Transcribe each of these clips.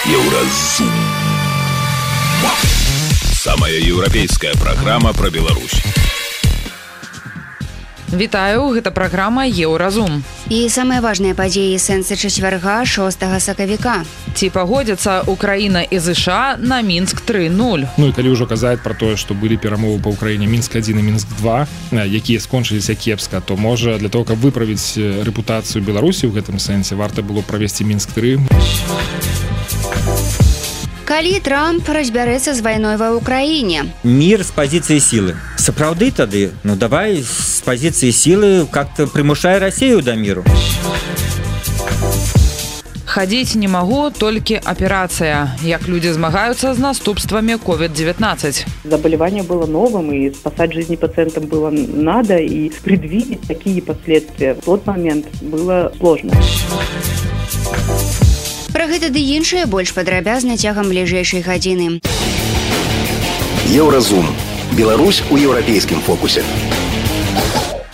Еўразум. Самая еўрапейская праграма пра Беларусь. Вітаю, гэта праграма Еўразум. І самыя важныя падзеі сэнсы чацвярга 6 сакавіка. Ці пагодзяцца Украіна і ЗША на Мінск 3.0. Ну і калі ўжо казаць пра тое, што былі перамовы па Ўкраіне Мінск-1 і Мінск-2, якія скончыліся кепска, то можа для того, каб выправіць рэпутацыю Беларусі ў гэтым сэнсе, варта было правесці Мінск-3. Калі Трамп разбярэцца з вайной ва Ўкраіне? Мир з пазіцыі сілы. Сапраўды тады, давай з пазіцыі сілы как-то прымушай Расію да міру. Хадзіць не магу, толькі аперацыя. Як людзі змагаюцца з наступствамі COVID-19. Заболевание было новым, и спасать жизни пациентам было надо, и предвидеть такие последствия в тот момент было сложно. Пра гэта ды іншае больш падрабязна цягам бліжэйшай гадзіны. Еўразум. Беларусь у еўрапейскім фокусе.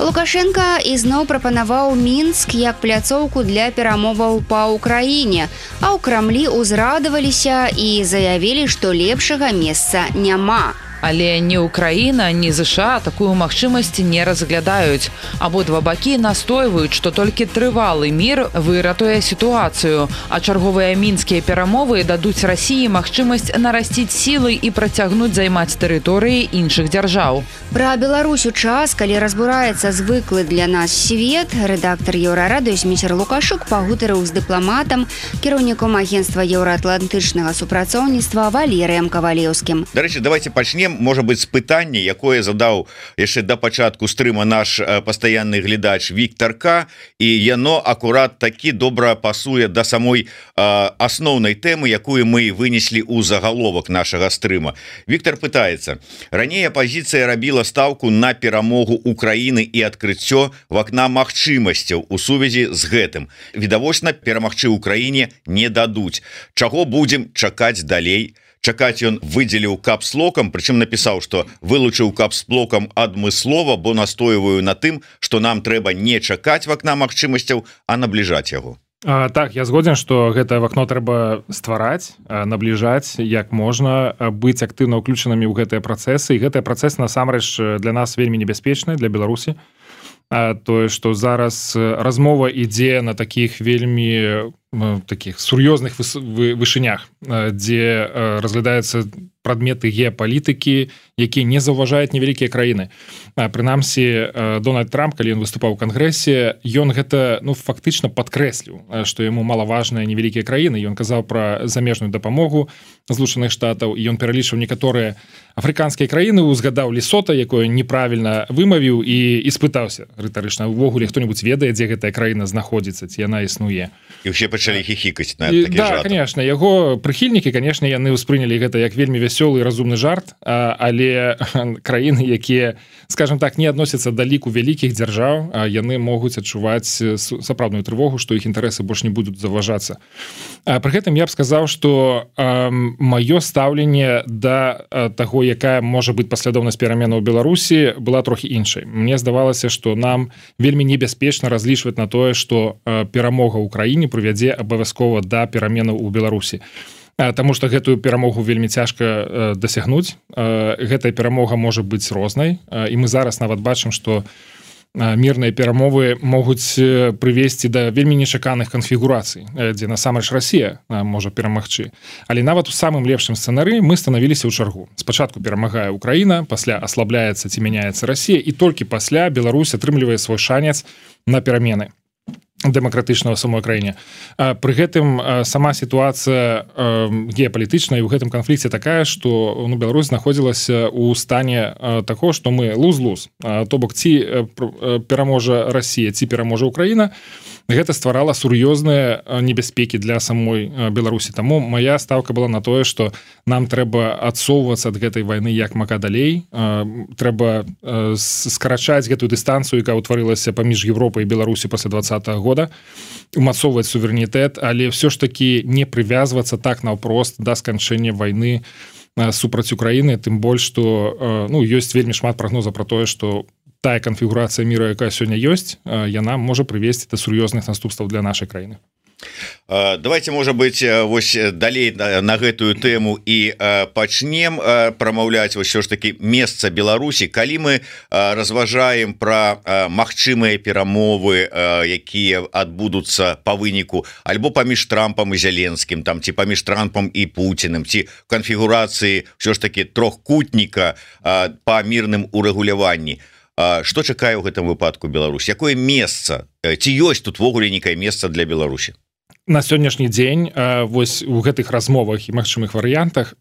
Лукашенка ізноў прапанаваў Мінск як пляцоўку для перамоваў па Ўкраіне, а ў Крамлі ўзрадаваліся і заявілі, што лепшага месца няма. Але ні Украіна, ні ЗША такую магчымасць не разглядаюць. Абодва бакі настойваюць, што толькі трывалы мір выратуе сітуацыю, а чарговыя мінскія перамовы дадуць Расіі магчымасць нарасціць сілы і працягнуць займаць тэрыторыі іншых дзяржаў. Пра Беларусь у час, калі разбураецца звыклы для нас свет, рэдактар Еўрарадыё Зміцер Лукашук пагутарыў з дыпламатам, кіраўніком агенцтва еўраатлантычнага супрацоўніцтва Валерыем Кавалеўскім. Дарэчы, давайте пачнем, можа быць, з пытання, якое задаў яшчэ да пачатку стрыма наш пастаянны глядач Віктор К, і яно акурат такі добра пасуе да самой асноўнай тэмы, якую мы вынеслі ў загаловак нашага стрыма. Віктор пытаецца: раней апазіцыя рабіла стаўку на перамогу Украіны і адкрыццё вакна магчымасцяў у сувязі з гэтым. Відавочна, перамагчы Украіне не дадуць. Чаго будзем чакаць далей? Чакаць ён выдзеліў капслокам, прычым напісаў, што вылучыў капслокам адмыслова, бо настойваю на тым, што нам трэба не чакаць вакна магчымасцяў, а набліжаць яго. Так, я згоден, што гэтае вакно трэба ствараць, набліжаць як можна, быць актыўна ўключанымі ў гэтыя працэсы, і гэтыя працэсы насамрэч для нас вельмі небяспечныя, для Беларусі. Тое, што зараз размова ідзе на такіх вельмі таких сур'ёзных вышынях, дзе разглядаюцца прадметы геапалітыкі, якія не заўважаюць невялікія краіны. Прынамсі, Дональд Трамп, калі ён выступаў у Кангрэсе, ён гэта фактычна падкрэсліў, што яму малаважныя невялікія краіны. Ён казаў пра замежную дапамогу Злучаных Штатаў, і ён пералічыў некаторыя афрыканскія краіны, узгадаў Лесота, якое неправільна вымавіў, і спытаўся рытарычна: увогуле хто-небудзь ведае, дзе гэтая краіна знаходзіцца, ці яна існуе. І ўсе пачалі хіхікаць на такі жарт. Да, конечно, яго прыхільнікі, конечно, яны ўспрынялі гэта як вельмі вясёлы і разумны жарт, але краіны, якія, скажем так, не адносяцца да ліку вялікіх дзяржаў, яны могуць адчуваць сапраўдную трывогу, што іх інтарэсы больш не будуць заўважацца. Пры гэтым я б сказаў, што маё стаўленне да таго, якая можа быць паслядоўнасць пераменаў у Беларусі, была трохі іншай. Мне здавалася, што нам вельмі небяспечна разлічваць на тое, што перамога ў краіне прывядзе абавязкова да пераменаў у Беларусі. Таму што гэтую перамогу вельмі цяжка дасягнуць. Гэтая перамога можа быць рознай, і мы зараз нават бачым, што мірныя перамовы могуць прывесці да вельмі нечаканых канфігурацый, дзе насамрэч Расія можа перамагчы. Але нават у самым лепшым сцэнары мы станавіліся ў чаргу. Спачатку перамагае Украіна, пасля аслабляецца ці мяняецца Расія, і толькі пасля Беларусь атрымлівае свой шанец на перамены дэмакратычна ў самой краіне. Пры гэтым сама сітуацыя геапалітычная ў гэтым канфлікце такая, што Беларусь знаходзілася ў стане таго, што мы луз-луз. То бок, ці пераможа Расія, ці пераможа Украіна, гэта стварала сур'ёзныя небяспекі для самой Беларусі. Таму моя стаўка была на тое, што нам трэба адсоўвацца ад гэтай вайны як мага далей. Трэба скарачаць гэтую дыстанцыю, якая ўтварылася паміж Европай і Беларусі пасля 2020 года, умацоўваць суверэнітэт, але ўсё ж такі не прывязвацца так наўпрост да сканчэння вайны супраць Украіны, тым больш, што ёсць вельмі шмат прагнозаў пра тое, што тая канфігурацыя міра, якая сёння ёсць, яна можа прывесці да сур'ёзных наступстваў для нашай краіны. Давайте, можа быть, вось далей на гэтую тэму і пачнем прамаўляць вось ўсё ж таки месца Беларусі, калі мы разважаем пра магчымыя перамовы, якія адбудуцца па выніку альбо паміж Трампам і Зеленскім, там ці паміж Трампам і Пуціным, ці канфігурацыі ўсё ж таки трохкутніка па мірным урэгуляванні. Што чакае ў гэтым выпадку Беларусь? Якое месца? Ці ёсць тут ввогуле нейкае месца для Беларусі? На сённяшні дзень вось у гэтых размовах і магчымых варыянтах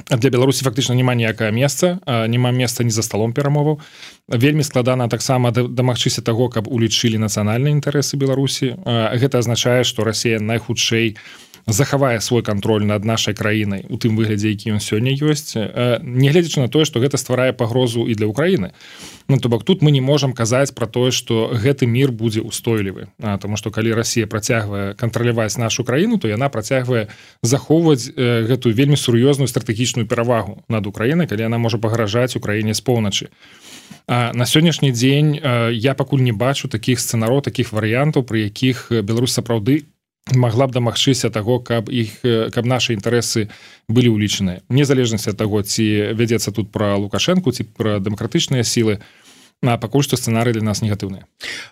для Беларусі фактычна няма ніякае месца, няма месца ні за сталом перамоваў. Вельмі складана таксама дамагчыся таго, каб улічылі нацыянальныя інтарэсы Беларусі. Гэта азначае, што Расія найхутчэй захавае свой кантроль над нашай краінай у тым выглядзе, які ён сёння ёсць, нягледзячы на тое, што гэта стварае пагрозу і для Украіны. Ну, то бок тут мы не можам казаць пра тое, што гэты мір будзе устойлівы, таму што калі Расія працягвае кантраляваць нашу краіну, то яна працягвае захоўваць гэтую вельмі сур'ёзную стратэгічную перавагу над Украінай, калі яна можа пагражаць Украіне з поўначы. На сённяшні дзень я пакуль не бачу такіх сцэнароў, такіх варыянтаў, пры якіх Беларусь сапраўды магла б дамагчыся таго, каб нашы інтарэсы былі ўлічаныя. Незалежнасці ад таго, ці вядзецца тут пра Лукашэнку, ці пра дэмакратычныя сілы, пакуль што сцэнарый для нас негатыўны.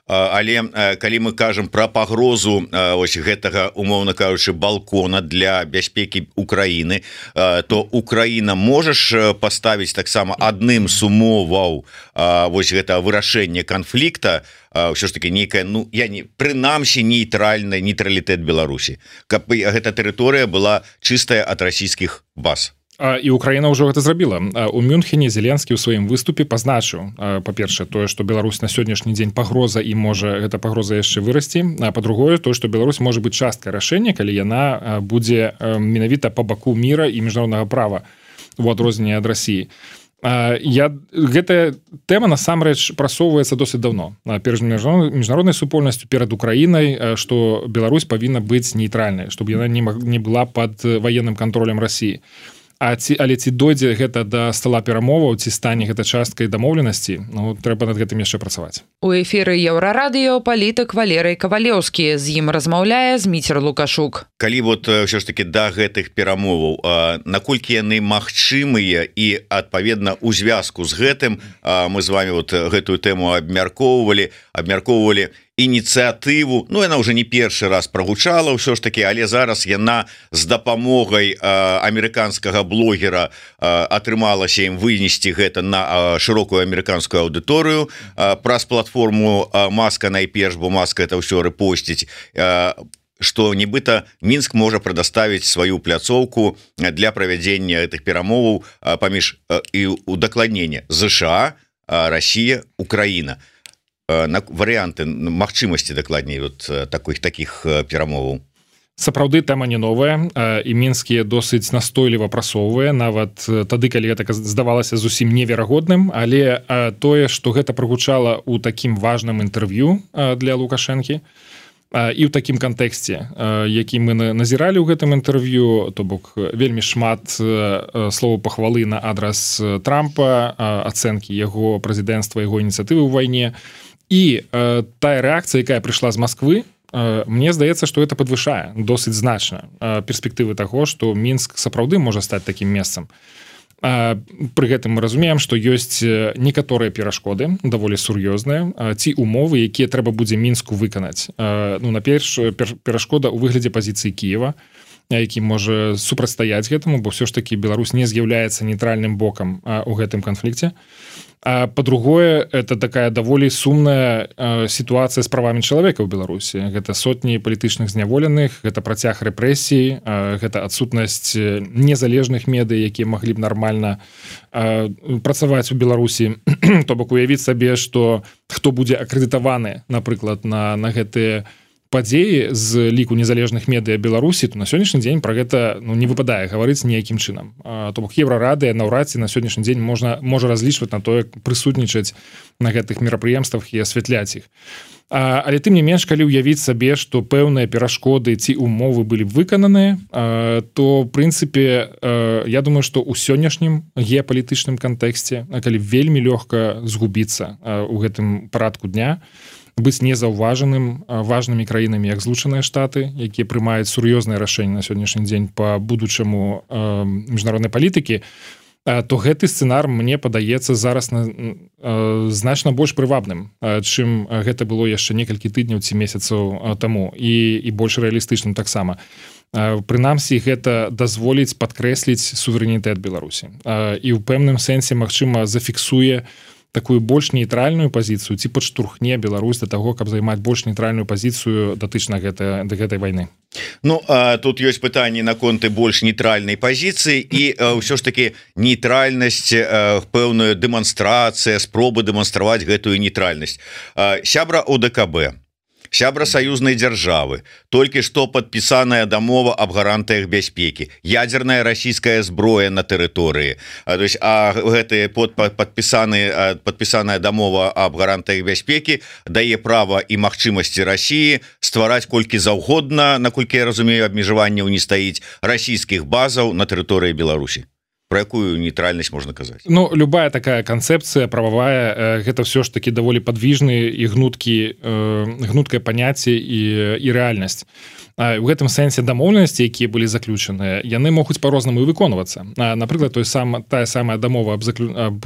Але калі мы кажам пра пагрозу ось гэтага, умоўна кажучы, балкона для бяспекі Украіны, то Украіна можаш паставіць таксама адным з умоваў вось гэта вырашэнне канфлікта, ўсё ж таки нейкая, ну я не прынамсі нейтралітэт Беларусі, каб гэта тэрыторыя была чыстая ад расійскіх баз. І Украіна ўжо гэта зрабіла. У Мюнхене Зеленскі ў сваім выступе пазначыў, па-першае, тое, што Беларусь на сённяшні дзень пагроза і можа гэта пагроза яшчэ вырасці, а па-другое, тое, што Беларусь можа быць часткай рашэння, калі яна будзе менавіта па баку міра і міжнароднага права у адрозненне ад Расіі. Гэтая тэма насамрэч прасоўваецца досыць даўно перад міжнароднай супольнасцю, перад Украінай, што Беларусь павінна быць нейтральнай, чтобы яна не была пад ваенным кантролем Расіі. Але ці дойдзе гэта да стала перамоваў, ці стане гэта часткай дамоўленасці, ну, трэба над гэтым яшчэ працаваць. У эфіры Еўрарадыё палітык Валерый Кавалеўскі, з ім размаўляе Зміцер Лукашук. Калі вот ўсё ж таки да гэтых перамоваў, наколькі яны магчымыя і адпаведна у звязку з гэтым мы з вами вот гэтую тэму абмяркоўвалі ініцыятыву, ну яна уже не першы раз прагучала ўсё ж таки, але зараз яна з дапамогай амерыканскага блогера атрымалася ім вынесці гэта на шырокую амерыканскую аўдыторыю праз платформу Маска найперш, бо Маска это ўсё рэпосціць, што нібыта Мінск можа прадаставіць сваю пляцоўку для правядзення гэтых перамоваў паміж і удакладнення ЗША, Расія, Украіна. Варыянты магчымасці дакладней вот таких перамоваў. Сапраўды тэма не новая, і Мінскі досыць настойліва прасоўвае, нават тады, калі гэта здавалася зусім неверагодным, але тое, што гэта прагучала ў такім важным інтэрв'ю для Лукашэнкі і ў такім кантэксце, які мы назіралі ў гэтым інтэрв'ю, то бок вельмі шмат словаў пахвалы на адрас Трампа, ацэнкі яго прэзідэнцтва, яго ініцыятывы ў вайне. І тая рэакцыя, якая прыйшла з Масквы, мне здаецца, што гэта падвышае досыць значна перспектывы таго, што Мінск сапраўды можа стаць такім месцам. Пры гэтым мы разумеем, што ёсць некаторыя перашкоды, даволі сур'ёзныя, ці умовы, якія трэба будзе Мінску выканаць. Ну, наперш, перашкода ў выглядзе пазіцыі Кіева, які можа супрацьстаяць гэтаму, бо ўсё ж такі Беларусь не з'яўляецца нейтральным бокам у гэтым канфлікце. А па-другое, это такая даволі сумная сітуацыя з правамі чалавека ў Беларусі. Гэта сотні палітычных зняволеных, гэта працяг рэпрэсій, гэта адсутнасць незалежных медый, якія маглі б нармальна працаваць у Беларусі. То бок уявіць сабе, што хто будзе акрэдытаваны, напрыклад, на гэтыя падзеі з ліку незалежных медыя Беларусі, то на сённяшні дзень пра гэта не выпадае гаварыць ніякім чынам. То бок Еўрарадыя наўрад ці на сённяшні дзень можа разлічваць на тое, прысутнічаць на гэтых мерапрыемствах і асвятляць іх. Але тым не менш, калі ўявіць сабе, што пэўныя перашкоды ці умовы былі б выкананыя, то в прынцыпе я думаю, што ў сённяшнім геапалітычным кантэксце, калі вельмі лёгка згубіцца ў гэтым парадку дня, быць незаўважаным важнымі краінамі, як Злучаныя Штаты, якія прымаюць сур'ёзныя рашэнні на сённяшні дзень па будучаму міжнароднай палітыкі, то гэты сцэнар, мне падаецца, зараз значна больш прывабным, чым гэта было яшчэ некалькі тыдняў ці месяцаў таму, і больш рэалістычным таксама. Прынамсі, гэта дазволіць падкрэсліць суверэнітэт Беларусі. І ў пэўным сэнсе, магчыма, зафіксуе такую больш нейтральную пазіцыю, ці падштурхне Беларусь да таго, каб займаць больш нейтральную пазіцыю датычна да гэтай вайны. Ну, тут ёсць пытанні наконт больш нейтральнай пазіцыі і ўсё ж таки нейтральнасць, пэўную дэманстрацыя, спробы дэманстраваць гэтую нейтральнасць. Сябра ОДКБ, сябра саюзнай дзяржавы, толькі што падпісаная дамова аб гарантыях бяспекі, ядзерная расійская зброя на тэрыторыі, то есть гэтая падпісаная дамова аб гарантыях бяспекі дае права і магчымасці Расіі ствараць колькі заўгодна, наколькі я разумею, абмежаванняў не стаіць, расійскіх базаў на тэрыторыі Беларусі. Про якую нейтральнасць можна казаць? Ну, любая такая канцэпцыя прававая, гэта ўсё ж таки даволі падвіжны і гнуткае паняцце і рэальнасць. У гэтым сэнсе дамоўленасці, якія былі заключаныя, яны могуць па-рознаму і выконвацца. Напрыклад, тая самая дамова аб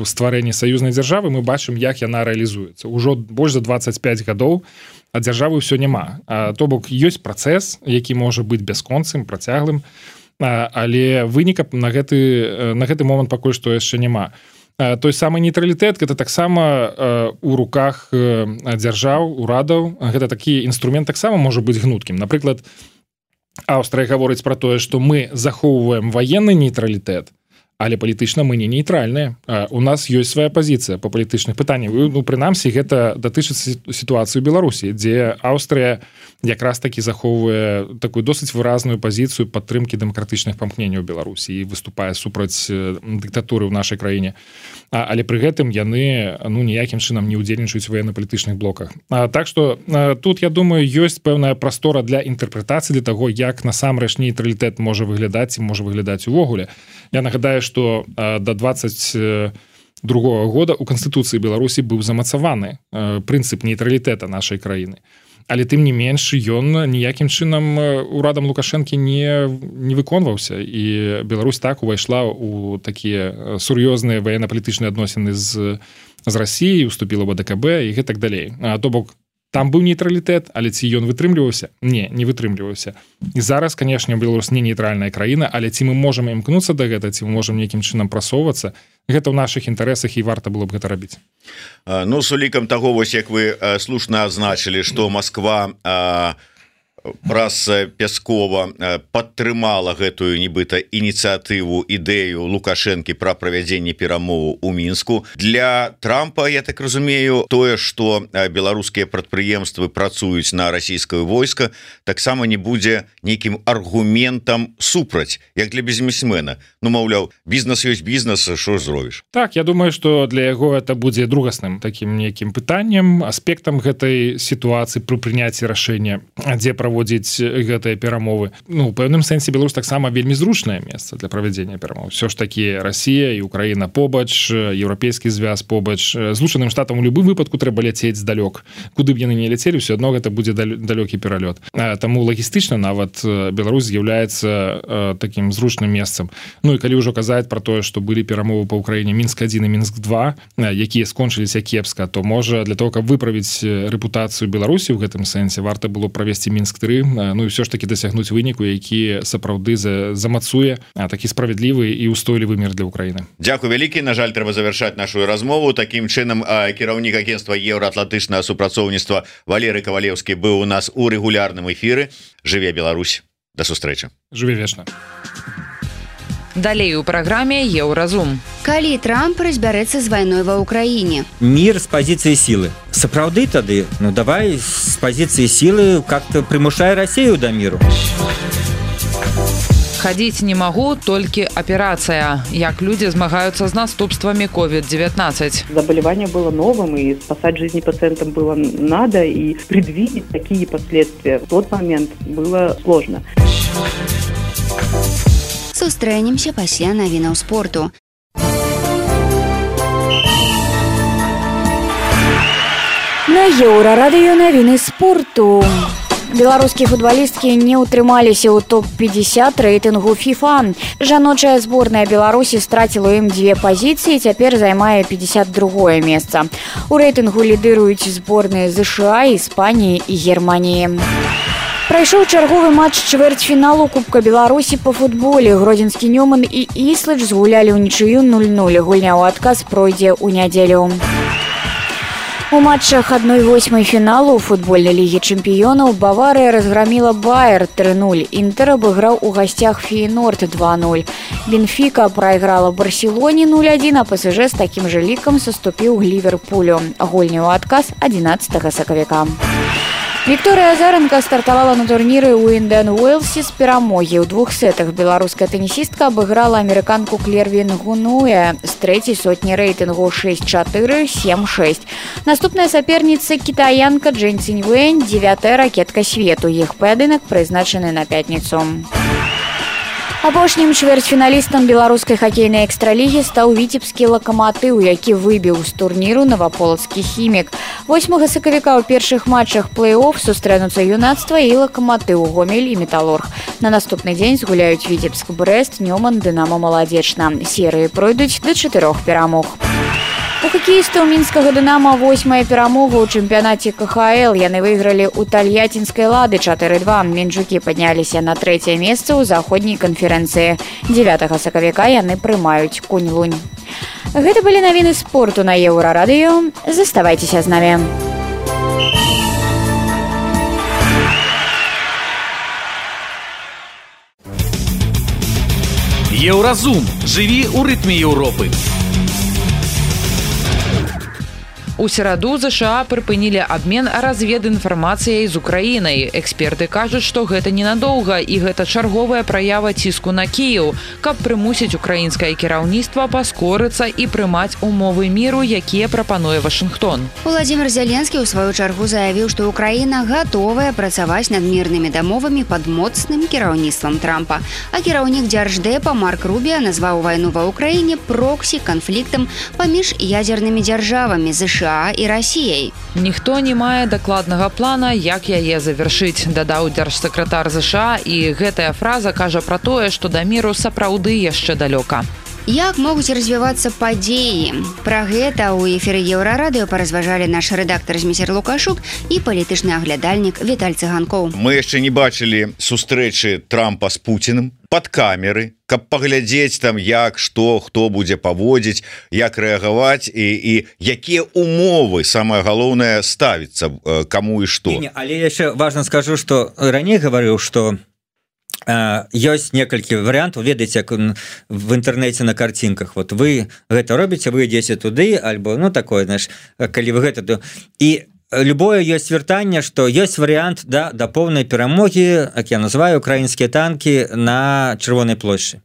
стварэнні саюзнай дзяржавы, мы бачым, як яна рэалізуецца. Ужо больш за 25 гадоў, а дзяржавы ўсё няма. То бок, ёсць працэс, які можа быць бясконцым, працяглым, але выніка на гэты момант пакуль што яшчэ няма. Той самы нейтралітэт, гэта таксама у руках дзяржаў, урадаў, гэта такі інструмент таксама можа быць гнуткім. Напрыклад, Аўстрыя гаворыць пра тое, што мы захоўваем ваенны нейтралітэт, але палітычна мы не нейтральныя. У нас ёсць свая пазіцыя па палітычных пытаннях. Ну, прынамсі, гэта датычыцца сітуацыі ў Беларусі, дзе Аўстрыя якраз такі захоўвае такую досыць выразную пазіцыю падтрымкі дэмакратычных памкненняў Беларусі і выступае супраць дыктатуры ў нашай краіне. Але пры гэтым яны ніякім чынам не ўдзельнічаюць у военна-палітычных блоках. Так што тут, я думаю, ёсць пэўная прастора для інтэрпрэтацыі, для таго, як насамрэч нейтралітэт можа выглядаць і можа выглядаць увогуле. Я нагадаю, што да 22 года ў Канстытуцыі Беларусі быў замацаваны прынцып нейтралітэта нашай краіны. Але тым не менш, ён ніякім чынам урадам Лукашэнкі не выконваўся. І Беларусь так увайшла ў такія сур'ёзныя военно-палітычныя адносіны з Расіяй, уступіла ў АДКБ і гэтак далей. То бок, там быў нейтралітэт, але ці ён вытрымліваўся? Не вытрымліваўся. І зараз, канешне, Беларусь не нейтральная краіна, але ці мы можам імкнуцца да гэта, ці мы можам нейкім чынам прасоўвацца, гэта ў нашых інтарэсах і варта было б гэта рабіць. Ну, з улікам таго, вось як вы слушна адзначылі, што Масква праз Пяскова падтрымала гэтую нібыта ініцыятыву, ідэю Лукашэнкі пра правядзенне перамоваў у Мінску. Для Трампа, я так разумею, тое, што беларускія прадпрыемствы працуюць на расійскае войска, таксама не будзе нейкім аргументам супраць, як для бізнесмена. Ну, маўляў, бізнес ёсць бізнес, што ж зробіш? Так, я думаю, што для яго это будзе другасным такім нейкім пытаннем, аспектам гэтай сітуацыі пры прыняцці рашэння, дзе праводзіць гэтыя перамовы. Ну, у пэўным сэнсе Беларусь таксама вельмі зручнае месца для правядзення перамоў. Всё ж такі Расія і Украіна побач, еўрапейскі звяз побач. Злучаным Штатам у любым выпадку трэба ляцець здалёк. Куды б яны не ляцелі, ўсё адно гэта будзе далёкі пералёт. Таму лагістычна нават Беларусь з'яўляецца такім зручным месцам. Ну і калі ўжо казаць пра тое, што былі перамовы па Ўкраіне Мінск-1 і Мінск-2, якія скончыліся кепска, то можа для того, каб выправіць рэпутацыю Беларусі ў гэтым сэнсе, варта было правесці Мінск-3, ну і ўсё ж таки дасягнуць выніку, які сапраўды замацуе такі справядлівы і устойлівы мір для Украіны. Дзякуй вялікі. На жаль, трэба завяршаць нашу размову. Такім чынам, кіраўнік агенцтва еўраатлантычнага супрацоўніцтва Валерый Кавалеўскі быў у нас у рэгулярным эфіры. Жыве Беларусь. Да сустрэчы. Жыве вечна. Далей у праграме Еўразум. Калі Трамп разбярэцца з вайной ва Ўкраіне? Мир з пазіцыі сілы. Сапраўды тады, ну давай з пазіцыі сілы как-то прымушай Расію да міру. Хадзіць не магу, толькі аперацыя. Як людзі змагаюцца з наступствамі COVID-19. Заболевание было новым, и спасать жизни пациентам было надо, и предвидеть такие последствия в тот момент было сложно. Сустрэнемся пасля навінаў спорту. На На Еўрарадыё навіны спорту. Беларускія футбалісткі не ўтрымаліся ў топ-50 рэйтынгу FIFA. Жаночая зборная Беларусі страціла ім 2 пазіцыі, цяпер займае 52-е месца. У рэйтынгу лідыруюць зборныя ЗША, Іспаніі і Германіі. Прайшоў чарговы матч чвэрцьфіналу Кубка Беларусі па футболе. Гродзенскі Нёман і Іслач згулялі ўнічыю 0-0. Гульня ў адказ пройдзе ў нядзелю. У матчах 1/8 фіналу футбольнай лігі чэмпіёнаў Баварыя разграміла Байер 3-0. Інтэр абыграў у гасцях Фейнорд 2-0. Бенфіка прайграла Барселоне 0-1, а ПСЖ з такім жа лікам саступіў Ліверпулю. Гульня ў адказ 11 сакавіка. Вікторыя Азаранка стартавала на турніры ў Індиан Уэльсе з перамогі. У 2 сетах беларуская тэнісістка абыграла амерыканку Клервін Гунуэ з 3-й сотні рэйтынгу 6-4, 7-6. Наступная саперніца кітаянка Джэн Ціньвэнь, 9-я ракетка свету. Іх паядынак прызначаны на пятніцу. Апошнім чвэрцьфіналістам беларускай хакейнай экстралігі стаў віцебскі Лакаматыў, які выбіў з турніру наваполацкі Хімік. 8 сакавіка ў першых матчах плэй-офф сустрэнуцца Юнацтва і Лакаматыў, Гомель і Металург. На наступны дзень згуляюць Віцебск, Брэст, Нёман, Дынамо, Маладзечна. Серыі пройдуць да 4 перамог. У хакеістаў мінскага Дынама 8-я перамога ў чэмпіянаце КХЛ. Яны выйгралі ў тальяцінскай Лады 4-2. Мінчукі падняліся на 3-е месца ў заходняй канферэнцыі. 9 сакавіка яны прымаюць Кунь-Лунь. Гэта былі навіны спорту на Еўрарадыё. Заставайцеся з намі. Еўразум. Жыві ў рытме Еўропы. У сераду ЗША прыпынілі абмен разведінфармацыяй з Украінай. Эксперты кажуць, што гэта ненадоўга і гэта чарговая праява ціску на Кіеў, каб прымусіць украінскае кіраўніцтва паскорыцца і прымаць умовы міру, якія прапануе Вашынгтон. Владзімір Зеленскі ў сваю чаргу заявіў, што Украіна гатовая працаваць над мірнымі дамовамі пад моцным кіраўніцтвам Трампа. А кіраўнік Дзярждэпа Марк Рубіа назваў вайну ва Ўкраіне проксі-канфліктам паміж ядзернымі дзяржавамі ЗША і Расіяй. Ніхто не мае дакладнага плана, як яе завяршыць, дадаў дзяржсакратар ЗША, і гэтая фраза кажа пра тое, што да міру сапраўды яшчэ далёка. Як могуць развівацца падзеі? Пра гэта ў эфіры Еўрарадыё паразважалі наш рэдактар Зміцер Лукашук і палітычны аглядальнік Віталь Цыганкоў. Мы яшчэ не бачылі сустрэчы Трампа з Пуцінам пад камеры, каб паглядзець там, як, што, хто будзе паводзіць, як рэагаваць і якія умовы, самае галоўнае, ставіцца каму і што. Але яшчэ важна скажу, што раней гаварыў, што ёсць некалькі варыянтаў, ведаеце, як в інтэрнэце на карцінках. Вот вы гэта робіце, вы ідзеце туды, альбо ну такое, знаеш, калі вы гэта, то і любое ёсць вяртанне, што ёсць варыянт да поўнай перамогі, як я называю, украінскія танкі на Чырвонай плошчы.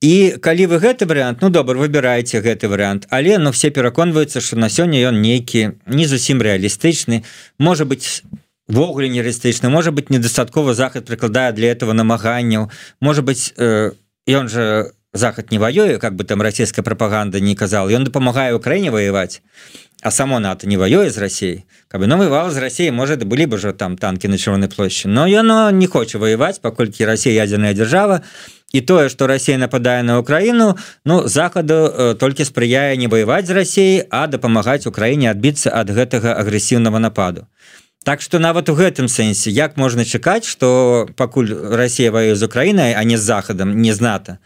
І калі вы гэты варыянт, ну добра, выбіраеце гэты варыянт, але ну все пераконваюцца, што на сёння ён нейкі не зусім рэалістычны, можа быць ввогуле нереалістычна, можа быць недастаткова Захад прыкладае для этого намаганняў, можа быць ён жа Захад не воюе, как бы там расійская прапаганда не казала, ён дапамагае Украіне ваяваць, а само НАТО не воюе з Расіяй. Каб яно воевало з Расіяй, можа, былі б уже там танкі на Чырвонай плошчы, но яно не хоча ваяваць, паколькі Расія ядзерная дзяржава, і тое, што Расія нападае на Украіну, ну, Захаду толькі спрыяе не ваяваць з Расіяй, а дапамагаць Украіне адбіцца ад гэтага агрэсіўнага нападу. Так што нават у гэтым сэнсе, як можна чакаць, што пакуль Расія воюе з Украінай, а не з Захадам, не з НАТО,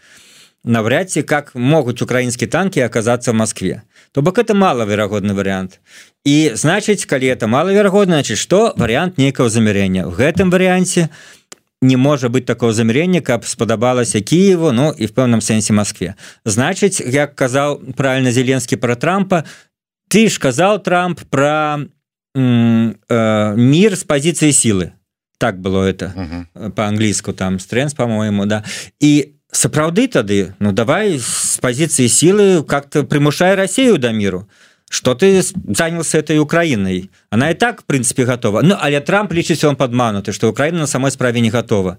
навряд ці как могуць украінскія танкі аказацца в Москве. То бок это малаверагодны варыянт. І значыць, калі это малаверагодна, значыць, што варыянт нейкага замірення. В гэтым варыянце не можа быць такого замірення, каб спадабалася Кіеву, ну і в пэўным сэнсе Москве. Значыць, як казаў правільна Зеленскі пра Трампа, ты ж казаў, Трамп, пра мир с позиции силы. Так было это по-английску, там стрэнс, по-моему, да. И сапраўды тады, ну давай с позиции силы как-то примушай Россию до миру. Что ты занялся этой Украиной? Она и так, в принципе, готова. Ну, але Трамп лічыць, он падмануты, что Украина на самой справе не готова.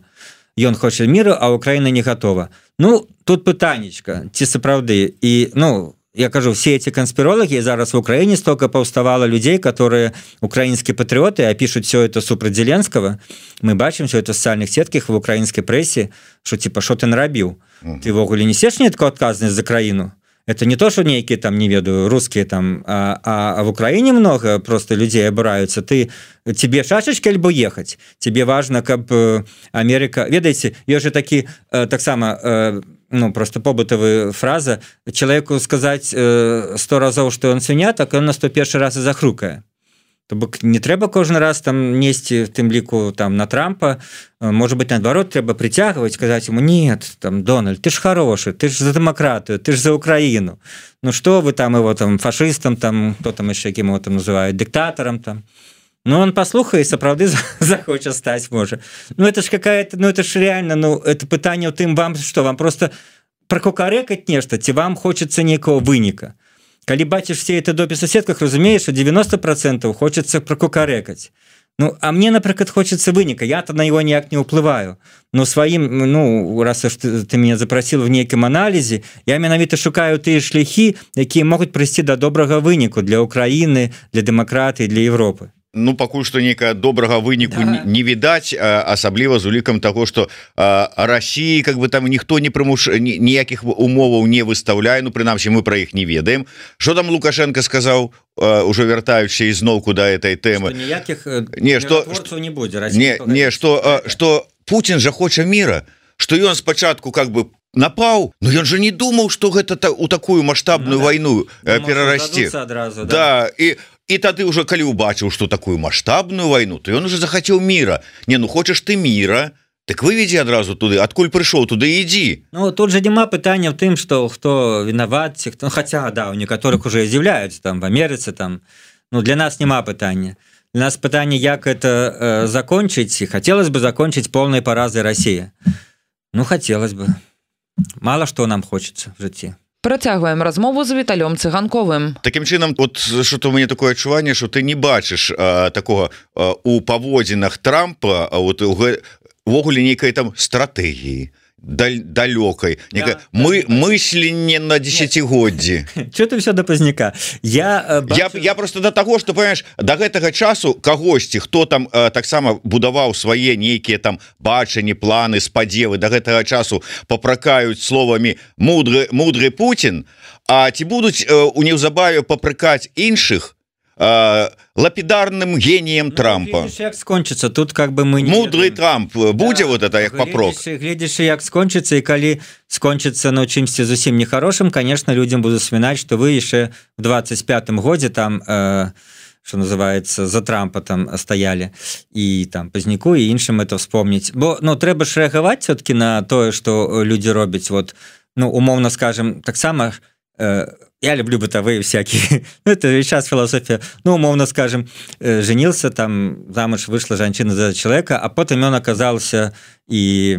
Ён хоча миру, а Украина не готова. Ну, тут пытанечка, ці сапраўды. І, ну, я кажу, все эти конспирологи, зараз в Украине столько повставало людей, которые украинские патриоты, а пишут все это супраць Зеленского. Мы бачим все это в социальных сетках, в украинской прессе, что типа, что ты нарабіў? Ты вогуле несешь некую отказность за краину? Это не то, что некие там, не ведаю, русские там, а в Украине много просто людей обираются. Тебе шашечки альбо ехать? Тебе важно, как Америка... Ведаете, есть же такие, так само... ну, просто побытовая фраза, человеку сказать 100 разов, что он свиня, так он на 101 раз и захрукае. То бок не трэба кожны раз там несці в тым ліку там на Трампа, может быть, наадварот трэба притягивать, сказать ему: нет, там, Дональд, ты ж хороший, ты ж за демократию, ты ж за Украину. Ну что вы там его там фашистом, там, кто там еще кем его там называют, диктатором там. Ну, он послухае, сапраўды захоча стаць можа. Ну, это ж какая-то, ну, это ж реально, ну, это пытанне ў тым, вам что, вам просто прокукарэкаць нешта, ці вам хочется некого выніка. Калі бачыш все это дописы в сетках, разумеешь, что 90% хочется прокукарэкаць. Ну, а мне, например, хочется выніка, я-то на его никак не уплываю. Но своим, ну, раз ты меня запросил в неким анализе, я менавіта шукаю тыя шляхі, якія могуць прыйсці да добрага выніку для Украины, для демократии, для Европы. Ну, пакуль што нейкая добрага выніку не відаць, асабліва з улікам таго, што Расіі как бы там ніхто не ніякіх умоваў не выстаўляе, ну прынамсі мы пра іх не ведаем. Што там Лукашенко сказаў, ужо вяртаючыся ізноўку да этой тэмы? Ніякіх міратворцаў не будзе. Што Путін жа хоча міра, што ён спачатку как бы напаў, но ён же не думаў, што гэта у такую маштабную вайну перарасце. Да, і тады уже калі убачыў, што такую маштабную вайну, то ён уже захацеў міра. Не, ну хочаш ты міра, так выведзі адразу туды, адкуль прыйшоў, туды ідзі. Ну тут же няма пытання ў тым, што хто вінават, хто, хаця да, у некаторых уже з'яўляюцца там в Амерыцы там. Ну для нас няма пытання. Для нас пытанне, як это закончыць, і хацелось бы закончыць полной паразай России. Ну хотелось бы. Мало што нам хочется в жыцці. Працягваем размову з Віталём Цыганковым. Такім чынам, от што у мяне такое адчуванне, што ты не бачыш такога у паводзінах Трампа, вот увогуле нейкай там стратэгіі далёкай, мысленне на десятигоддзі. Чё ты все до пазняка? Я просто до таго, што понимаешь, до гэтага часу кагосьці, хто там таксама будаваў свае нейкія там бачанні, планы, спадзевы, до гэтага часу папракаюць словамі мудры Путін, а ці будуць у неўзабаве папракаць іншых лапідарным геніем Трампа. Гледзіш, як скончыцца, тут как бы мы не мудрый Трамп будзе вот это як папрок. Гледзіш, як скончыцца, і калі скончыцца ну чымсьці зусім нехарошым, конечно, людям будут вспоминать, что вы яшчэ в 25-м годзе там что называется, за Трампа там стояли, и там Пазняку, и іншым это вспомнить. Бо, ну, трэба ж рэагаваць все-таки на тое, что люди робяць, вот, ну, умовно скажем, таксама я люблю бытовые всякие, ну, это сейчас философия, ну, умовно скажем, женился, там, замуж вышла женщина за человека, а потом он оказался и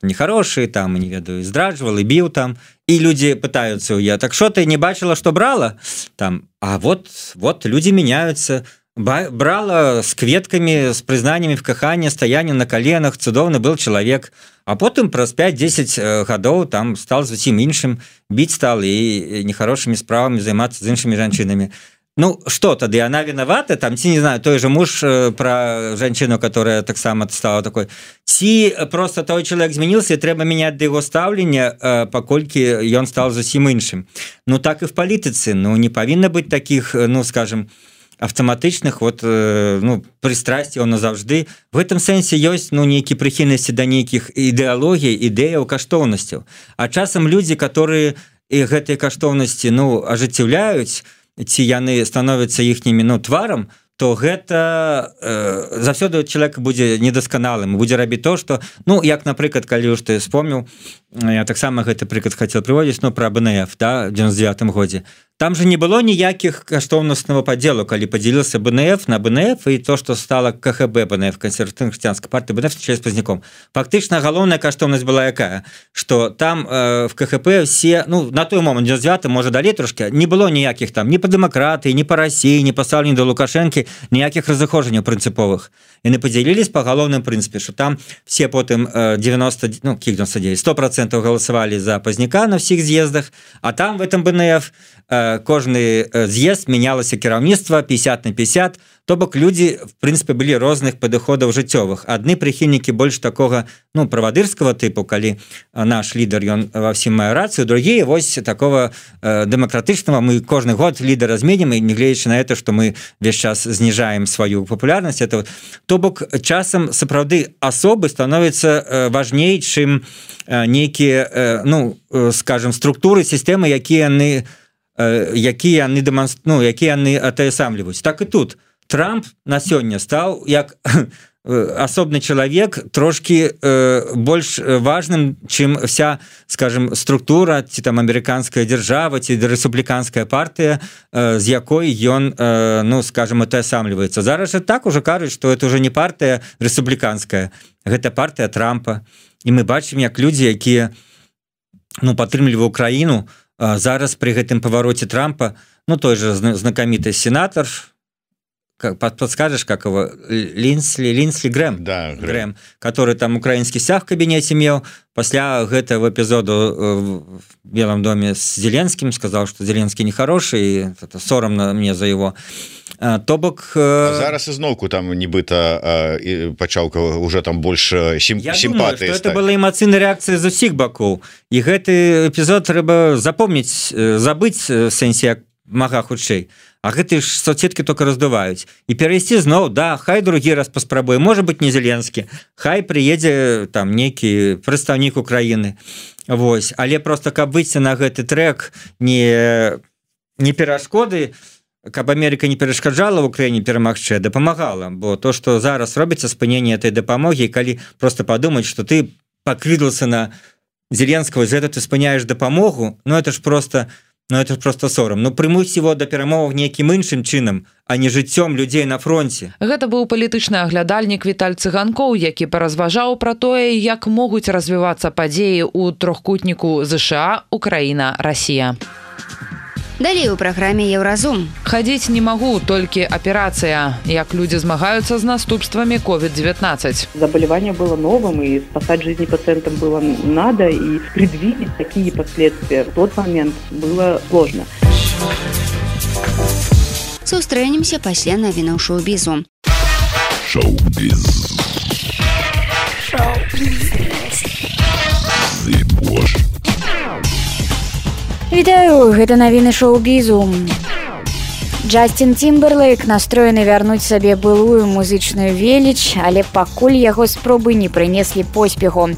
нехороший, там, не ведаю, и здрадживал, и бил там, и люди пытаются, я, так что ты не бачила, что брала? Там, а вот люди меняются, брала с кветками, с признаниями в кахании, стоянием на коленах, цудовный был человек, а потом праз 5-10 гадоў там стал зусім іншым, бить стал и нехорошими справами заниматься с іншими женщинами. Ну, что тогда, она виновата? Там, не знаю, той же муж про женщину, которая так само стала такой. Ці просто той человек изменился, и треба менять до его ставления, покольки он стал зусім іншым. Ну, так и в политице. Ну, не повинно быть таких, ну, скажем, автоматычных вот ну пристрасцяў назаўжды. В этом сэнсе ёсць ну нейкія прыхільнасці да нейкіх ідэалогій, ідэяў, каштоўнасцяў. А часам людзі, которые гэтыя каштоўнасці ну ажыццяўляюць, ці яны становяцца іхнімі ну тварам, то гэта заўсёды чалавек будзе недасканалым, будзе рабіць то, што ну як напрыклад, калі ўж ты вспомніў, я таксама гэты прыклад хацеў прыводзіць, ну пра БНФ, да, в 99-м годзе. там же не было ніякіх каштоўнасного падзелу, калі падзяліўся БНФ на БНФ і то, што стала КХБ БНФ, кансерватыўна хрысціянская партыя БНФ з пазняком. Фактычна галоўная каштоўнасць была якая, што там в КХП все, ну, на той момент 99, можа далей трошки, не было ніякіх там ні па дэмакратыі, ні па Расіі, ні па стаўленні да Лукашэнкі, ніякіх разыходжанняў прынцыповых. Яны падзялілись па галоўным прынцыпе, што там все потым 100% галасавалі за пазняка на ўсіх з'ездах, а там в этом БНФ кожны з'езд менялася кіраўніцтва 50/50, то бок людзі в прынцыпе былі розных падыходаў жыццёвых. Адны прыхільнікі больш такога, ну, правадырскага тыпу, калі наш лідар ён ва ўсім мае рацыю, другія вось такого дэмакратычнага, мы кожны год лідара зменім, і нягледзячы на это, што мы весь час зніжаем сваю папулярнасць, это то бок часам сапраўды асобы становяцца важней, чым нейкія, ну, скажем, структуры, сістэмы, якія яны атаясамліваюць. Так і тут Трамп на сёння стаў як асобны чалавек трошки больш важным, чым вся, скажем, структура, ці там амерыканская дзяржава, ці рэспубліканская партыя, з якой ён, ну, скажем, атаясамліваецца. Зараз жа так уже кажуць, што это уже не партыя рэспубліканская, гэта партыя Трампа. І мы бачым, як людзі, якія, ну, падтрымліваюць Украіну, зараз при гэтым павароце Трампа, ну, той же знакаміты сенатор, подскажешь, как его, Линсли Грэм, да, Грэм, который там украинский сяг в кабинете имел, после этого эпизода в Белом доме с Зеленским сказал, что Зеленский нехороший, и это соромно мне за его. То бок... Зараз изноўку там нібыта пачаўка уже там больше сімпатыі. Я думаю, что это была эмоцыйная реакция з усіх бакоў. И гэты эпизод трэба запомнить, забыть в сэнсе як мага хутчэй. А гэты ж соцсеткі только раздуваюць. І перайсці зноў, да, хай другі раз паспрабуе, можа быть не Зеленскі, хай прыедзе там нейкі прадстаўнік Украіны. Вось, але просто каб выйсці на гэты трек не перашкоды, каб Америка не перашкаджала в Украіне перамагчы, дапамагала, бо то, што зараз робіцца спыненне этой дапамогі, калі просто падумаць, што ты пакрыўся на Зеленского, за это ты спыняеш дапамогу, ну это ж просто сорам. Ну прымуць его да перамоваў нейкім іншым чынам, а не жыццём людзей на фронте. Гэта быў палітычны аглядальнік Віталь Цыганкоў, які паразважаў пра тое, як могуць развівацца падзеі ў трохкутніку ЗША, Украіна, Расія. Далей у праграме Еўразум. Хадзіць не магу, толькі аперацыя. Як людзі змагаюцца з наступствамі COVID-19. Заболевание было новым, и спасать жизни пациентам было надо, и предвидеть такие последствия в тот момент было сложно. Сустрэнемся пасля навінаў шоу-бізу. Шоу-біз. Вітаю, гэта навіны шоу-бізу. Джастин Тимберлейк настроены вярнуць сабе былую музычную веліч, але пакуль яго спробы не прынеслі поспеху.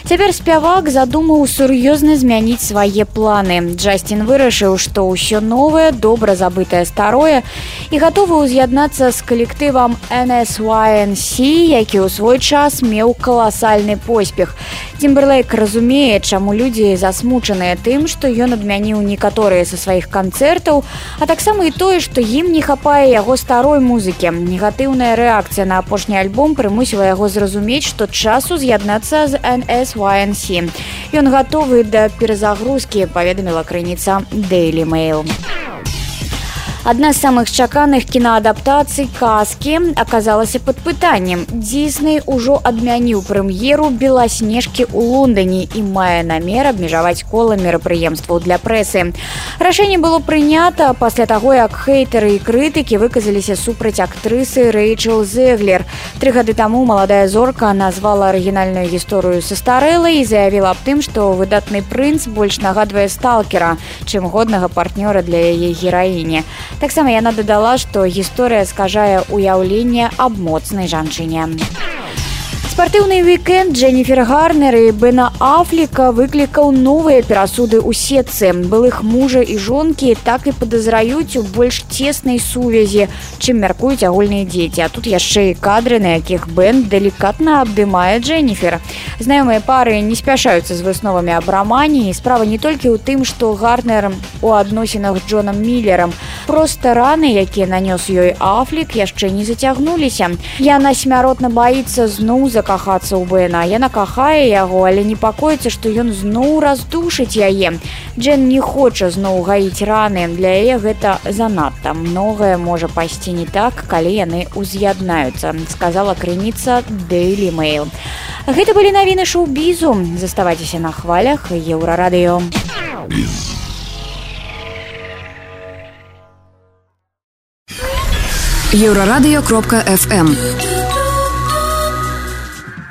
Цяпер спявак задумаў сур'ёзна змяніць свае планы. Джастин вырашыў, што ўсё новае, добра забытае старое, і гатовы ўз'яднацца з калектывам NSYNC, які ў свой час меў каласальны поспех. Тимберлейк разумее, чаму людзі засмучаныя тым, што ён адмяніў некаторыя са сваіх канцэртаў, а таксама і тое, што ім не хапае яго старой музыкі. Негатыўная рэакцыя на апошні альбом прымусіла яго зразумець, што часу з'яднацца з NSYNC. Ён гатовы да перазагрузкі, паведаміла крыніца Daily Mail. Адна з самых чаканых кінаадаптацый «Казкі» аказалася пад пытаннем. Дісней ужо адмяніў прэм'еру «Беласнежкі» ў Лондоне і мае намер абмежаваць кола мерапрыемстваў для прэсы. Рашэнне было прынята пасля таго, як хейтары і крытыкі выказаліся супраць актрысы Рэйчел Зеглер. 3 гады таму маладая зорка назвала арыгінальную гісторыю састарэлай і заявіла аб тым, што выдатны прынц больш нагадвае сталкера, чым годнага партнёра для яе гераіні. Таксама яна дадала, што гісторыя скажае ўяўленне аб моцнай жанчыне. Спартыўны вікенд Дженніфер Гарнер і Бена Афлека выклікаў новыя перасуды ў сетцы. Былых мужа і жонкі так і падазраюць у больш цеснай сувязі, чым мяркуюць агульныя дзеці. А тут яшчэ і кадры, на якіх Бен делікатна абдымае Дженніфер. Знаёмыя пары не спяшаюцца з высновамі аб рамане, і справа не толькі ў тым, што Гарнер у адносінах з Джонам Міллерам. Проста раны, якія нанёс ёй Афлек, яшчэ не зацягнуліся. Яна смяротна баіцца зноў закахацца ў Бена. Яна кахае яго, але непакоіцца, што ён зноў раздушыць яе. Джен не хоча зноў гаіць раны. Для яе гэта занадта. Многае можа пайсці не так, калі яны ўз'яднаюцца, сказала крыніца Daily Mail. Гэта былі навіны шоу-бізу. Заставайцеся на хвалях Еўрарадыё. Еўрарадыё.фм.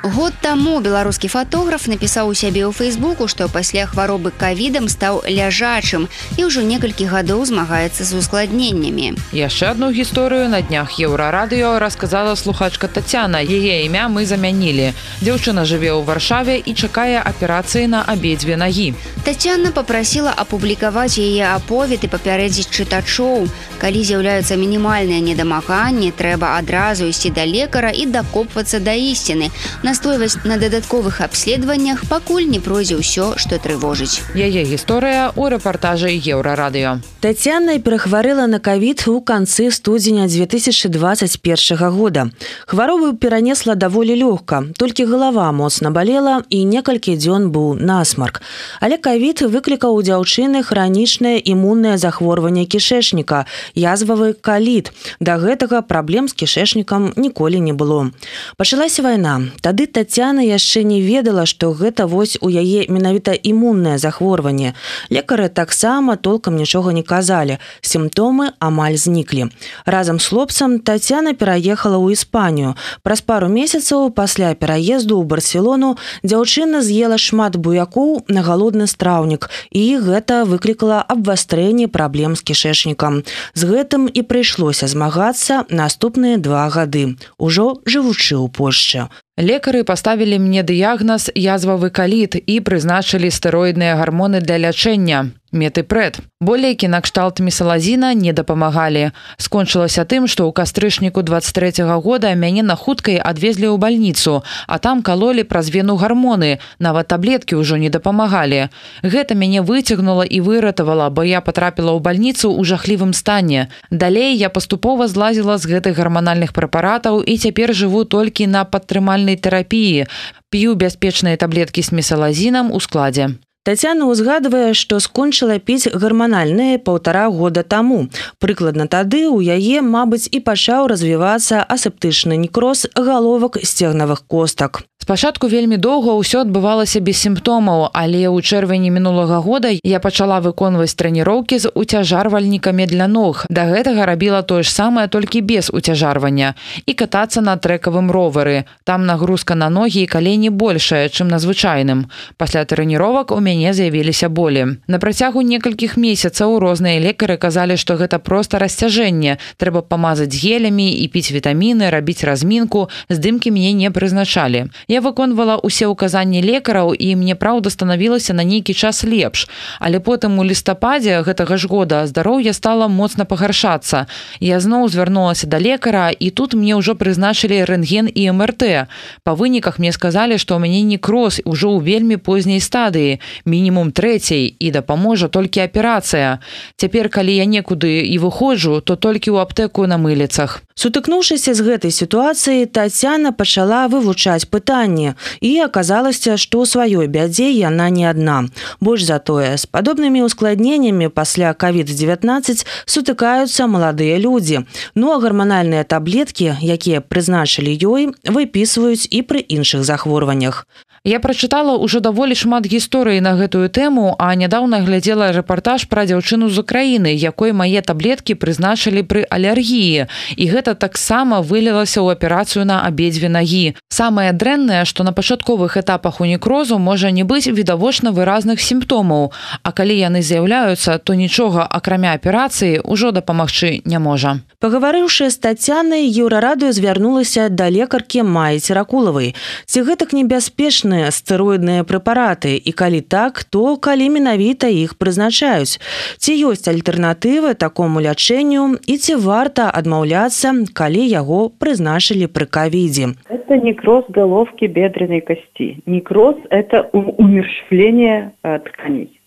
Год таму беларускі фатограф напісаў у сябе ў Фейсбуку, што пасля хваробы ковідам стаў ляжачым і ўжо некалькі гадоў змагаецца з ускладненнямі. Яшчэ одну гісторыю на днях Еўрарадыё расказала слухачка Тацяна. Яе імя мы замянілі. Дзяўчына жыве ў Варшаве і чакае аперацыі на абедзве нагі. Тацяна попрасіла апублікаваць яе аповед і папярэдзіць чытачоў. Калі з'яўляюцца мінімальныя недамаганні, трэба адразу ісці да лекара і дакопвацца да ісціны. Настойваць на дадатковых абследаваннях, пакуль не пройдзе ўсё, што трывожыць. Яе гісторыя ў рэпартажы Еўрарадыё. Тацяна перахварэла на ковід у канцы студзеня 2021 года. Хваробу перанесла даволі лёгка, толькі галава моцна балела і некалькі дзён быў насмарк. Але ковід выклікаў у дзяўчыны хранічнае імуннае захворванне кішэчніка, язвавы каліт. Да гэтага праблем з кішэчнікам ніколі не было. Пачалася вайна. Тады Тацяна яшчэ не ведала, што гэта вось у яе менавіта імуннае захворванне. Лекары таксама толкам нічога не казалі. Сімптомы амаль зніклі. Разам з хлопцам Тацяна пераехала ў Іспанію. Праз пару месяцаў пасля пераезду ў Барселону дзяўчына з'ела шмат буякоў на галодны страўнік, і гэта выклікала абвастрэнне праблем з кішэчнікам. З гэтым і прыйшлося змагацца наступныя 2 гады, ужо жывучы ў Польшчы. Лекары паставілі мне дыягназ язвавы каліт і прызначылі стэроідныя гармоны для лячэння. Метыпрэд. Болейкі накшталт місалазіна не дапамагалі. Скончылася тым, што ў кастрычніку 23-го года мяне на хуткай адвезлі ў бальніцу, а там калолі праз вену гармоны, нават таблеткі ўжо не дапамагалі. Гэта мяне выцягнула і выратавала, бо я патрапіла ў бальніцу ў жахлівым стане. Далей я паступова злазіла з гэтых гарманальных прэпаратаў і цяпер жыву толькі на падтрымальнай тэрапіі. П'ю бяспечныя таблеткі з місалазінам у складзе. Тацяна ўзгадвае, што скончыла піць гарманальныя 1,5 года таму. Прыкладна тады ў яе, мабыць, і пачаў развівацца асептычны некроз галовак сцегнавых костак. Спачатку вельмі доўга ўсё адбывалася без сімптомаў, але ў чэрвені мінулага года я пачала выконваць трэніроўкі з уцяжарвальнікамі для ног. Да гэтага рабіла тое ж самае, толькі без уцяжарвання. І катацца на трэкавым ровары. Там нагрузка на ногі і калені большая, чым на звычайным. Пасля трэніровак у мяне з'явіліся болі. На працягу некалькіх месяцаў розныя лекары казалі, што гэта проста расцяжэнне. Трэба памазаць гелямі і піць вітаміны, рабіць размінку. Здымкі мне не прызначалі. Я выконвала ўсе ўказанні лекараў, і мне, праўда, станавілася на нейкі час лепш. Але потым у лістападзе гэтага ж года здароўе стала моцна пагаршацца. Я зноў звярнулася да лекара, і тут мне ўжо прызначылі рэнтген і МРТ. Па выніках мне сказалі, што ў мяне некроз ўжо ў вельмі позняй стадыі, мінімум 3-й, і дапаможа толькі аперацыя. Цяпер, калі я некуды і выходжу, то толькі ў аптэку на мыліцах. Сутыкнуўшыся з гэтай сітуацыяй, Тацяна пачала вывучаць пытанне, і аказалася, што ў сваёй бядзе яна не адна. Больш за тое, з падобнымі ускладненнямі пасля COVID-19 сутыкаюцца маладыя людзі. Ну а гарманальныя таблеткі, якія прызначылі ёй, выпісваюць і пры іншых захворваннях. Я прачытала ўжо даволі шмат гісторый на гэтую тэму, а нядаўна глядзела рэпартаж пра дзяўчыну з Украіны, якой мае таблеткі прызначылі пры алергіі. І гэта таксама вылілася ў аперацыю на абедзве нагі. Самае дрэннае, што на пачатковых этапах у некрозу можа не быць відавочна выразных сімптомаў, а калі яны з'яўляюцца, то нічога, акрамя аперацыі, ўжо дапамагчы не можа. Пагаварыўшы з Тацянай, Еўрарадыё звярнулася да лекаркі Маі Церакулавай. Ці гэтак небяспечныя стэроідныя прэпараты, і калі так, то калі менавіта іх прызначаюць? Ці ёсць альтэрнатывы такому лячэнню і ці варта адмаўляцца, калі яго прызначылі пры ковиде? Это некроз головки бедренной кости. Некроз – это умерщвление тканей,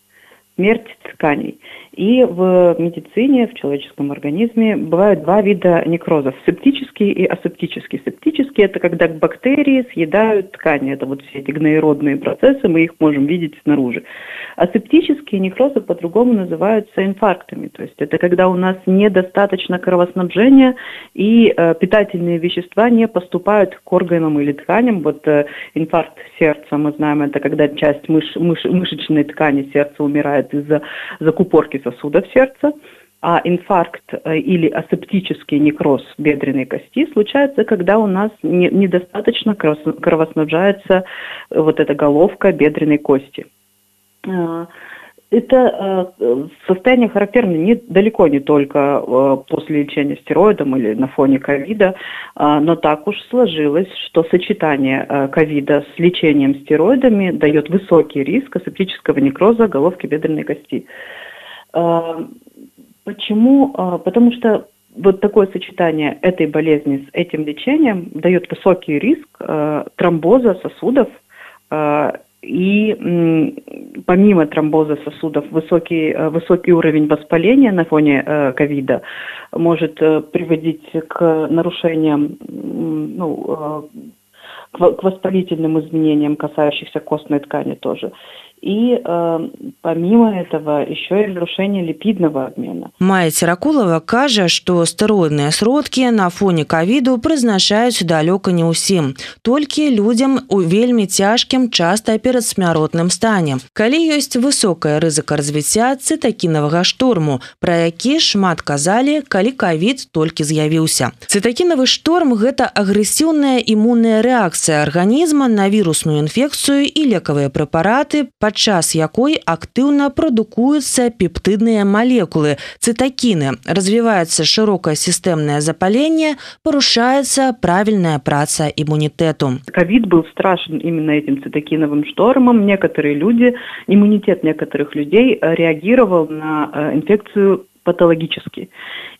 смерть тканей. И в медицине, в человеческом организме бывают два вида некрозов – септический и асептический. Септический – это когда бактерии съедают ткани. Это вот все эти гноеродные процессы, мы их можем видеть снаружи. Асептические некрозы по-другому называются инфарктами. То есть это когда у нас недостаточно кровоснабжения и питательные вещества не поступают к органам или тканям. Вот инфаркт сердца, мы знаем, это когда часть мышечной ткани сердца умирает из-за закупорки сосудов сердца, а инфаркт или асептический некроз бедренной кости случается, когда у нас недостаточно кровоснабжается вот эта головка бедренной кости. Это состояние характерно далеко не только после лечения стероидом или на фоне ковида, но так уж сложилось, что сочетание ковида с лечением стероидами дает высокий риск асептического некроза головки бедренной кости. Почему? Потому что вот такое сочетание этой болезни с этим лечением дает высокий риск тромбоза сосудов, и помимо тромбоза сосудов высокий уровень воспаления на фоне ковида может приводить к нарушениям, к воспалительным изменениям, касающихся костной ткани тоже. И помимо этого еще и нарушение липидного обмена. Майя Церакулава кажа, што стэроідныя сродкі на фоне ковіду прызначаюць далёка не ўсім, толькі людзям у вельмі цяжкім, часта перадсмяротным стане. Калі ёсць высокая рызыка развіцця цытакінавага шторму, пра які шмат казалі, калі ковід толькі з'явіўся. Цытакінавы шторм – гэта агрэсіўная імунная рэакцыя арганізма на вірусную інфекцыю і лекавыя прэпараты, падчас якой актыўна прадукуюцца пептыдныя малекулы, цытакіны, развіваецца шырокае сістэмнае запаленне, парушаецца правільная праца імунітэту. Ковид был страшен именно этим цитокиновым штормом. Иммунитет некоторых людей реагировал на инфекцию патологически.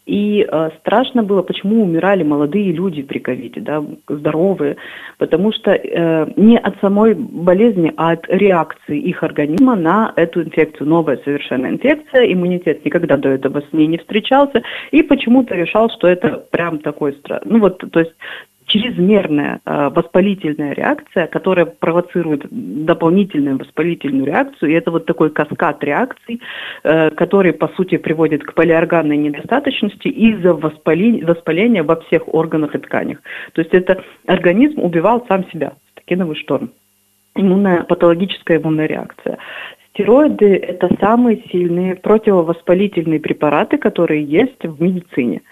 И страшно было, почему умирали молодые люди при ковиде, да, здоровые, потому что не от самой болезни, а от реакции их организма на эту инфекцию. Новая совершенно инфекция, иммунитет никогда до этого с ней не встречался, и почему-то решал, что это прям такой страх. То есть чрезмерная воспалительная реакция, которая провоцирует дополнительную воспалительную реакцию, и это вот такой каскад реакций, который, по сути, приводит к полиорганной недостаточности из-за воспаления во всех органах и тканях. То есть это организм убивал сам себя, цитокиновый шторм. Патологическая иммунная реакция. Стероиды – это самые сильные противовоспалительные препараты, которые есть в медицине.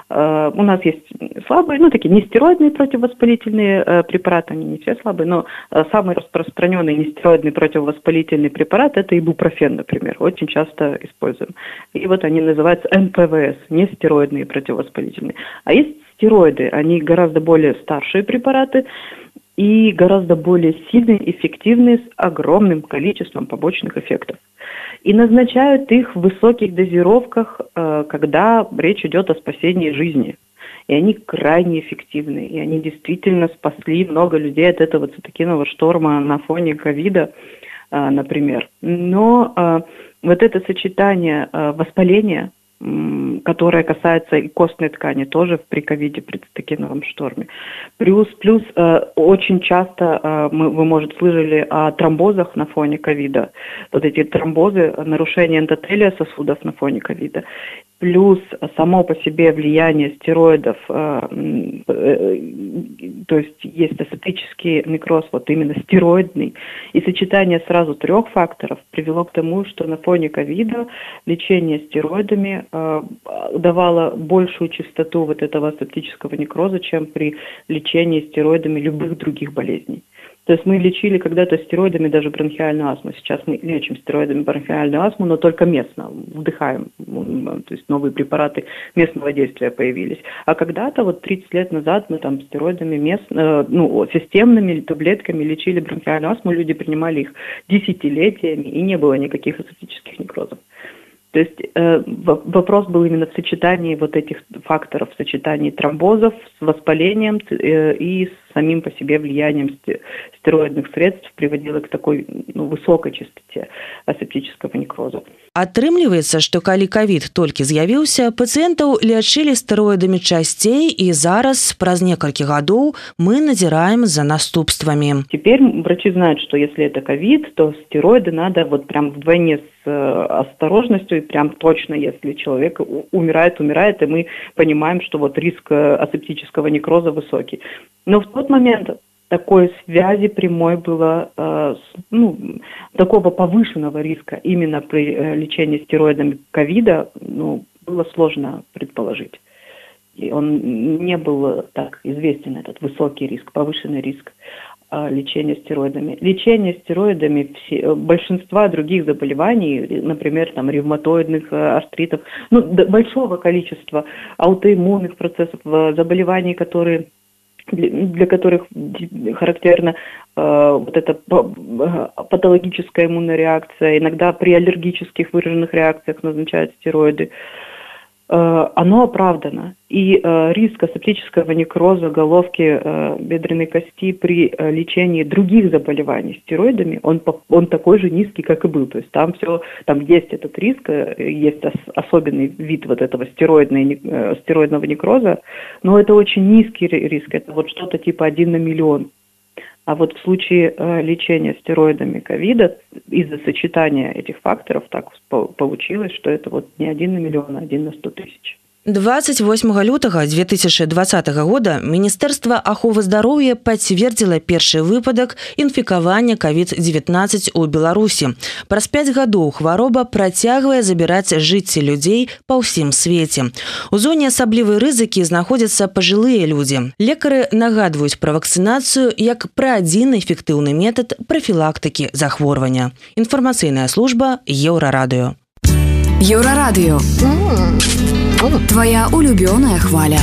У нас есть слабые, такие нестероидные противовоспалительные препараты, они не все слабые, но самый распространенный нестероидный противовоспалительный препарат – это ибупрофен, например, очень часто используем. И вот они называются НПВС, нестероидные противовоспалительные. А есть стероиды, они гораздо более старшие препараты, и гораздо более сильные, эффективные, с огромным количеством побочных эффектов. И назначают их в высоких дозировках, когда речь идет о спасении жизни. И они крайне эффективны, и они действительно спасли много людей от этого цитокинового шторма на фоне ковида, например. Но вот это сочетание воспаления, которая касается и костной ткани, тоже при ковиде, при цитокиновом шторме. Плюс очень часто вы, может, слышали о тромбозах на фоне ковида. Вот эти тромбозы, нарушение эндотелия сосудов на фоне ковида. плюс само по себе влияние стероидов, то есть есть асептический некроз, вот именно стероидный, и сочетание сразу 3 факторов привело к тому, что на фоне ковида лечение стероидами давало большую частоту вот этого асептического некроза, чем при лечении стероидами любых других болезней. То есть мы лечили когда-то стероидами даже бронхиальную астму. Сейчас мы лечим стероидами бронхиальную астму, но только местно, вдыхаем. То есть новые препараты местного действия появились. А когда-то, вот 30 лет назад, мы там стероидами системными таблетками лечили бронхиальную астму. Люди принимали их десятилетиями, и не было никаких асептических некрозов. То есть вопрос был именно в сочетании вот этих факторов, в сочетании тромбозов с воспалением и с самим по себе влиянием стероидных средств приводило к такой высокой частоте асептического некроза. Атрымліваецца, што калі ковід толькі з'явіўся, пацыентаў лячылі стэроідамі часцей, і зараз, праз некалькі гадоў, мы назіраем за наступствамі. Теперь врачи знают, что если это ковид, то стероиды надо вот прям вдвойне с осторожностью, и прям точно, если человек умирает, и мы понимаем, что вот риск асептического некроза высокий. Но в тот момент такой связи прямой было, такого повышенного риска именно при лечении стероидами ковида, было сложно предположить. И он не был так известен, этот высокий риск, повышенный риск лечения стероидами. Лечение стероидами большинства других заболеваний, например, там, ревматоидных артритов, большого количества аутоиммунных процессов, заболеваний, для которых характерна вот эта патологическая иммунная реакция, иногда при аллергических выраженных реакциях назначают стероиды, оно оправдано. И риск асептического некроза головки бедренной кости при лечении других заболеваний стероидами, он такой же низкий, как и был. То есть там есть этот риск, есть особенный вид вот этого стероидного некроза, но это очень низкий риск, это вот что-то типа 1 на миллион. А вот в случае лечения стероидами ковида из-за сочетания этих факторов так получилось, что это вот не 1 на миллион, а 1 на 100 тысяч. 28 лютага 2020 года Міністэрства аховы здароўя пацвердзіла першы выпадак інфікавання COVID-19 у Беларусі. Праз 5 гадоў хвароба працягвае забіраць жыцці людзей па ўсім свеце. У зоне асаблівай рызыкі знаходзяцца пажылыя людзі. Лекары нагадваюць пра вакцынацыю як пра адзін эфектыўны метад прафілактыкі захворвання. Інфармацыйная служба Еўрарадыё. Еўрарадыё. Твоя улюбёная хваля.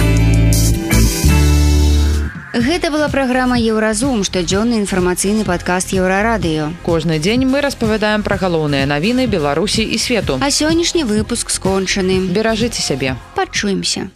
Гэта была праграма Еўразум, штодзённы інфармацыйны падкаст Еўрарадыё. Кожны дзень мы распавядаем пра галоўныя навіны Беларусі і свету. А сённяшні выпуск скончаны. Беражыце сябе. Пачуемся.